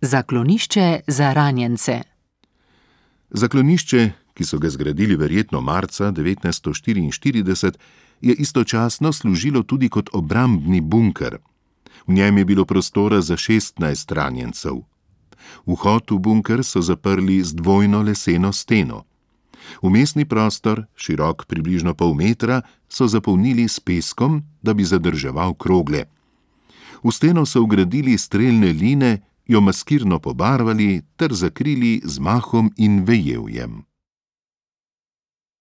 Zaklonišče za ranjence. Zaklonišče, ki so ga zgradili verjetno marca 1944, je istočasno služilo tudi kot obrambni bunker. V njem je bilo prostora za 16 ranjencev. Vhod v bunker so zaprli z dvojno leseno steno. Vmesni prostor, širok približno pol metra, so zapolnili s peskom, da bi zadrževal krogle. V steno so vgradili strelne line, jo maskirno pobarvali ter zakrili z mahom in vejevjem.